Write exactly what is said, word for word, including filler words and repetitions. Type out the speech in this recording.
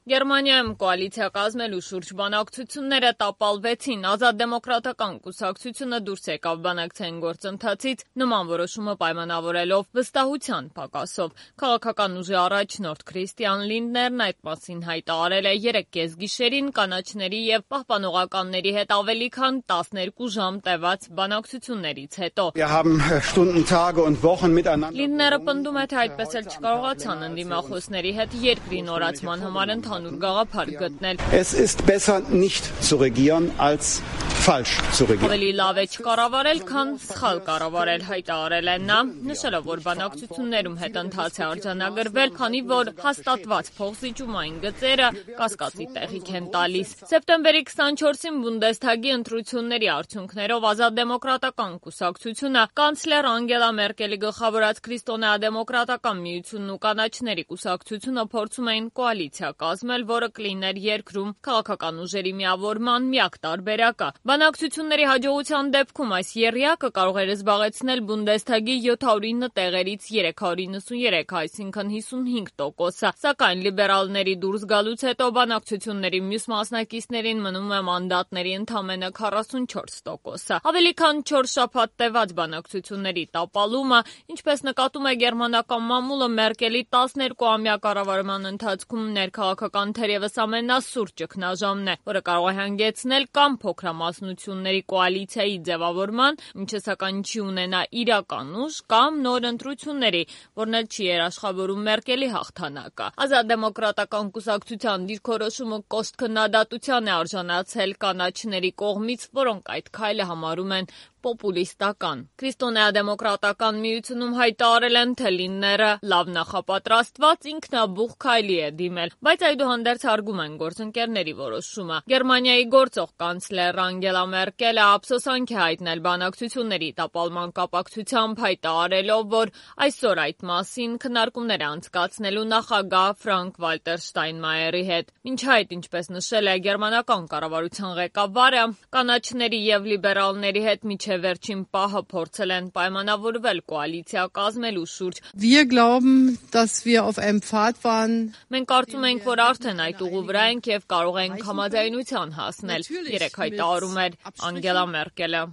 Գերմանիայում կոալիցիա կազմելու շուրջ բանակցությունները տապալվեցին, Ազատ դեմոկրատական կուսակցությունը դուրս եկավ բանակցային գործընթացից, նման որոշումը պայմանավորելով վստահության պակասով։ Քաղաքական ուժի առաջնորդ Քրիստիան Լինդներն այդ մասին հայտարարել է երեկ կեսգիշերին կանաչների և պահպանողականների հետ ավելի քան տասներկու ժամ տևած բանակցություններից հետո։ Լինդները պնդում է, թե այդպես էլ չկարողացան ընդդիմախոսների հետ երկրի նորացման համար ընդհանուր գաղափար գտնել։ Ավելի լավ է չկառավարել, քան սխալ կառավարել, հայտարարել է նա, նշելով, որ բանակցություններում հետընթաց է արձանագրվել, քանի որ հաստատված փոխզիջումային գծերը կասկածի տեղիք են տալիս։ Սեպտեմբերի քսանչորսին Բունդեսթագի ընտրությունների արդյունքներով Ազատ դեմոկրատական կուսակցությունը կանցլեր Անգելա Մերկելի գլխավորած Քրիստոնեա-դեմոկրատական միությունն ու կանաչների կուսակցությունը փորձում էին կոալիցիա կազմել, որը կլիներ երկրում քաղաքական ուժերի միավորման միակ տարբերակը։ Բանակցությունների հաջողության դեպքում այս եռյակը կարող էր զբաղեցնել Բունդեսթագի յոթ հարյուր ինը տեղերից երեք հարյուր իննսուններեք, այսինքն հիսունհինգ տոկոսը, սակայն լիբերալների դուրս գալուց հետո բանակցությունների մյուս մասնակիցներին մնում է մանդատների ընդամենը քառասունչորս տոկոսը։ Ավելի քան չորս շաբաթ տևած բանակցությունների տապալումը, ինչպես նկատում է գերմանական մամուլը, Մերկելի տասներկուամյա կառավարման ընթացքում ներքաղաքական թերևս ամենասուր ճգնաժամն է, որը կարող է հանգեցնել կամ փոքրամասնությունների կոալիցիայի ձևավորման, ինչը սակայն չի ունենա իրական ուժ, կամ նոր ընտրությունների, որն էլ չի երաշխավորում Մերկելի հաղթանակը։ Ազատ դեմոկրատական կուսակցության դիրքորոշումը կոշտ քննադատության է արժանացել կանաչների կողմից, որոնք այդ քայլը համարում են պոպուլիստական։ Քրիստոնեա-դեմոկրատական միությունում հայտարարել են, թե Լինդները լավ նախապատրաստված ինքնաբուխ քայլի է դիմել, բայց այդուհանդերձ հարգում են գործընկերների որոշումը։ Գերմանիայի գործող կանցլեր Անգելա Մերկելը ափսոսանք է հայտնել բանակցությունների տապալման կապակցությամբ, հայտարարելով, որ այսօր այդ մասին քննարկումներ է անցկացնելու նախագահ Ֆրանկ Վալտեր Շտայնմայերի հետ։ Մինչ այդ, ինչպես նշել է գերմանական կառավարության ղեկավարը, կանաչների և լիբերալների հետ մինչև վերջին պահը փորձել են պայմանավորվել կոալիցիա կազմելու շուրջ։ Մենք կարծում ենք, որ արդեն այդ ուղու վրա ենք և կարող ենք համաձայնության հասնել, երեկ հայտարարում էր Անգելա Մերկելը։